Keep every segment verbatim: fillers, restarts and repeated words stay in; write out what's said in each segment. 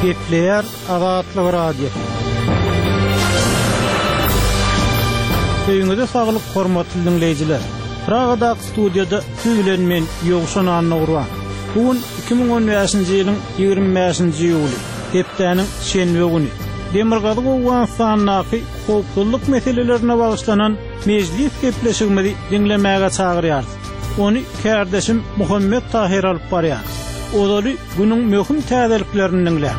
Gepleýär Azatlyk Radiosy. Öýüňize saglyk hormatly diňleýjiler. Pragadaky studiýada siz bilen men Ýowşan Annagurban. Bu gün iki müň on bäşinji ýylyň ýigrimi bäşinji iýuly, hepdäniň şenbe güni. Demirgazyk Owganystandaky howpsuzlyk meselelerine bagyşlanan mejlis gepleşigimizi diňlemäge çagyrýarys. Ony kärdeşim Muhammet Tahyr alyp barýar. Ozaly günüň möhüm täzeliklerini diňläň.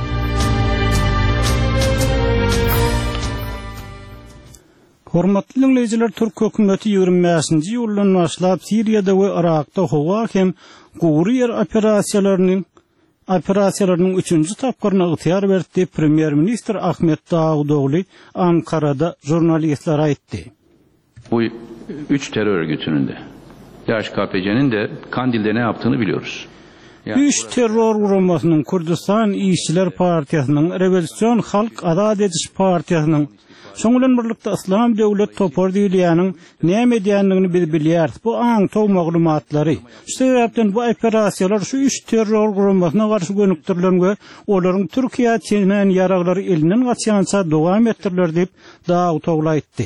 Hormatly diňleýjiler, türk hökümeti ýigrimi bäşinji iýuldan başlap Siriýada we Yrakda howa hem gury ýer operasiýalarynyň operasiýalarynyň üçünji tapgyryna ygtyýar berdi diýip, premýer-ministr Ahmet Dawutogly Ankarada žurnalistlere aýtdy. Bu üç terör örgütünün de, D H K P C'nin de Kandil'de ne yaptığını biliyoruz. Üç terror guramasynyň, Kürdistan Işçiler Partiýasynyň, Rewolýusion Halk Azat Ediş Partiýasynyň, şoň bilen birlikde Yslam Döwlet topary diýilýäniň näme edýändigini biz bilýäris. Bu aňtaw maglumatlary. Şu sebäpden bu operasiýalar şu üç terror guramasyna garşy gönükdirilen we olaryň Türkiýä çenän ýaraglary elinden gaçýança dowam etdiriler diýip, Dawutogly aýtdy.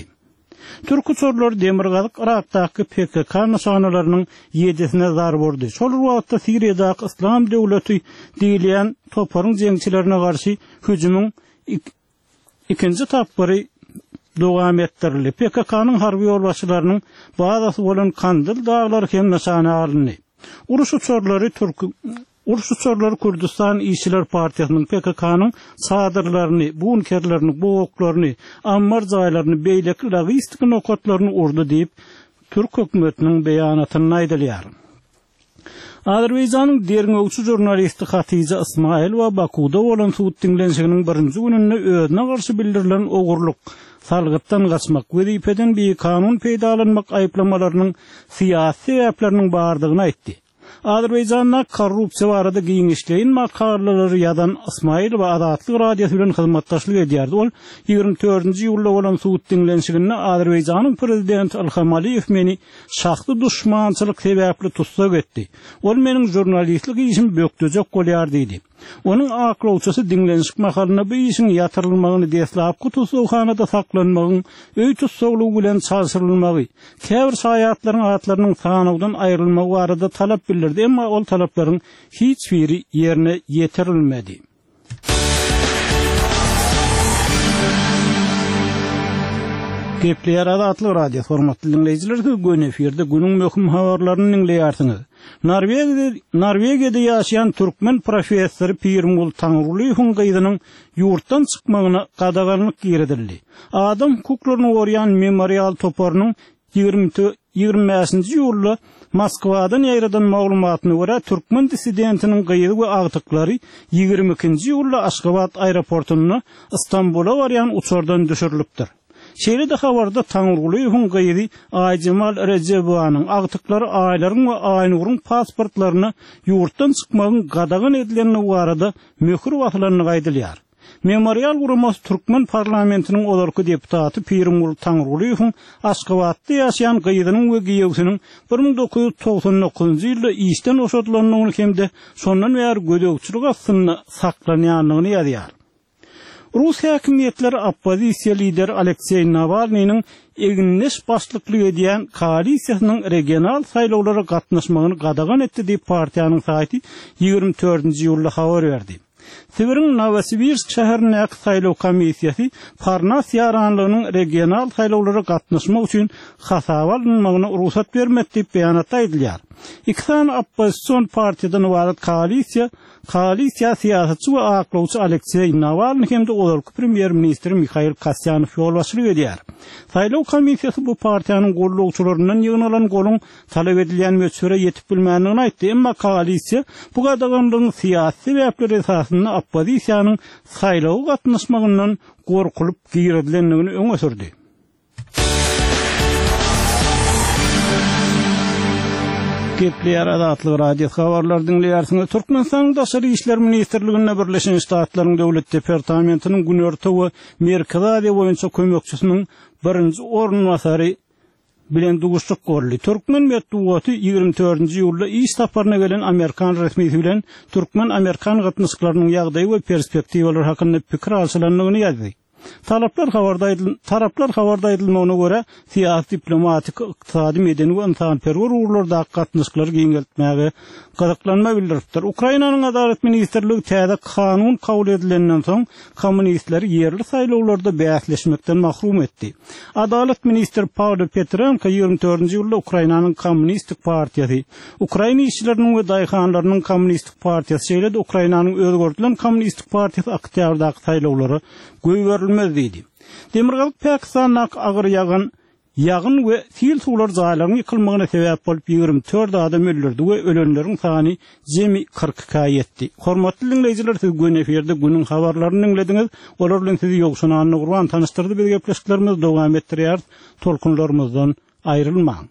Türk uçarlary Demirgazyk Yrakdaky P K K nyşanalarynyň ýedisine zarba urdy. Şol bir wagtda Siriýadaky Yslam Döwleti diýilýän toparyň jeňçilerine garşy hüjümiň ikinji tapgyry dowam etdirildi. P K K-nyň harby ýolbaşçylarynyň bazasy bolan Kandil daglary hem nyşana alyndy. Uruş uçarlary Türk Uruş uçarlary Kürdistan Işçiler Partiýasynyň P K K-nyň çadyrlaryny, bunkerlerini, bogaklaryny, ammar jaýlaryny, beýleki logistik nokatlaryny urdy diýip, Türk hökümetiniň beýanatynda aýdylýar. Azerbaýjanyň derňewçi žurnalisti Hatija Ismailova Bakuda bolan sud diňlenişiginiň birinji gününde özüne garşy bildirilen ogurlyk, salgytdan gaçmak, wezipeden bikanun peýdalanmak aýyplamalarynyň syýasy sebäpleriniň bardygyny aýtdy. Azerbaýjanda korrupsiýa barada giňişleýin makalalary ýazan Ismailova Azatlyk Radiosy bilen hyzmatdaşlyk edýärdi. Ol ýigrimi dördünji iýulda bolan sud diňlenişiginde Azerbaýjanyň prezidenti Ilham Aliýew meni şahsy duşmançylyk sebäpli tussag etdi. Ol meniň žurnalistlik işimi bökdejek bolýar diýdi. Onuň aklawçysy diňlenişik mahalynda bu işiň ýatyrylmagyny deslapky tussaghanada saklanmagyň öý tussaglygy bilen çalşyrylmagy, käbir şaýatlaryň atlarynyň sanawdan aýrylmagy barada talap bildirdi, emma ol talaplaryň hiç biri ýerine ýetirilmedi. Gepleýär Azatlyk Radiosy, hormatly diňleýjiler, siz göni efirde günüň möhüm habarlaryny diňleýärsiňiz. Norwegiýada, Norwegiýada ýaşaýan türkmen professory Pirmul Taňrygulyýewiň gyzynyň ýurtdan çykmagyna gadaganlyk girizildi. Adam hukuklaryny goraýan memorial toparynyň ýigrimi ýigrimi bäşinji iýulda Moskwadan ýaýradan maglumatyna görä türkmen dissidentiniň gyzy we agtyklary ýigrimi ikinji iýulda Aşgabat aeroportunda Istanbula barýan uçardan düşürilipdir. Şeýle-de habarda Taňrygulyýewiň gyzy Aýjemal Rejebowanyň agtyklary Aýlaryň we Aýnuryň pasportlaryna ýurtdan çykmagyň gadagan edilendigi barada möhür basylandygy aýdylýar. Memorial guramasy Türkmen parlamentiniň ozalky deputaty Pirimgul Taňrygulyýewiň Aşgabatda ýaşaýan gyzynyň we giýewsiniň bir müň dokuz ýüz togsan dokuzynjy ýylda işden boşadylandygyny hem-de şondan bäri gözegçilik astynda saklanýandygyny ýazýar. Rus häkimiýetleri oppozisiýa lideri Alekseý Nawalnynyň egindeş başlyklyk edýän koalisiýasynyň regional saýlawlara gatnaşmagyny gadagan etdi diýip partiýanyň saýty ýigrimi dördünji iýulda habar berdi. Sibiriň Nowosibirsk şäherindäki saýlaw komissiýasy Parnas ýaranlygynyň regional saýlawlara gatnaşmak üçin hasaba alynmagyna rugsat bermedi diýip beýanatda aýdylýar. Iki sany oppozision partiýadan ybarat koalisiýa, koalisiýa syýasatçy we aklawçy Alekseý Nawalny hem-de ozalky premýer-ministr Mihail Kasýanow ýolbaşçylyk edýär. Saýlaw komissiýasy bu partiýanyň gullukçylaryndan ýygnalan goluň talap edilýän möçbere ýetip bilmändigini aýtdy, emma koalisiýa bu gadaganlygyň syýasy sebäpleri esasynda oppozisiýanyň saýlawa gatnaşmagyndan gorkulyp girizilendigini öňe sürdi. Gepleýär Azatlyk Radiosy habarlary diňleýärsiňiz. Türkmenistanyň Daşary işler ministrliginde Birleşen Ştatlaryň Döwlet Departamentiniň Günorta we Merkezi Aziýa boýunça kömekçisiniň birinji orunbasary bilen duşuşyk boldy. Türkmen metbugaty ýigrimi dördünji iýulda iş saparyna gelen Amerikan resmisi bilen türkmen-amerikan gatnaşyklarynyň ýagdaýy we perspektiwalary hakynda pikir alşylandygyny ýazdy. Taraplar habarda aýdyl, taraplar habarda aýdylmagyna görä, syýasy, diplomatik, ykdysady, medeni we ynsanperwer ugurlardaky gatnaşyklary giňeltmäge gyzyklanma bildiripdir. Ukrainanyň Adalat ministrligi täze kanun kabul edilenden soň kommunistleri ýerli saýlawlarda bäsleşmekden mahrum etdi. Adalat ministri Pawlo Petrenko ýigrimi dördünji ýylda Ukrainanyň Kommunistik partiýasy, Ukraina işçileriniň we daýhanlarynyň Kommunistik partiýasy, şeýle-de Ukrainanyň özgerdilen Kommunistik partiýasy oktýabrdaky saýlawlara goýberilmez diýdi. Demirgazyk Pakistandaky agyr ýagan ýagyn we sil suwlar jaýlaryň ýykylmagyna sebäp bolup ýigrimi dört adam öldürdi we ölenleriň sany jemi kyrk ikä ýetdi. Hormatly diňleýjiler, siz gün efirde günüň habarlaryny diňlediňiz. Olar bilen sizi Ýowşan Annagurban tanyşdyrdy. Biz gepleşiklerimizi dowam etdirýäris. Tolkunlarymyzdan aýrylmaň.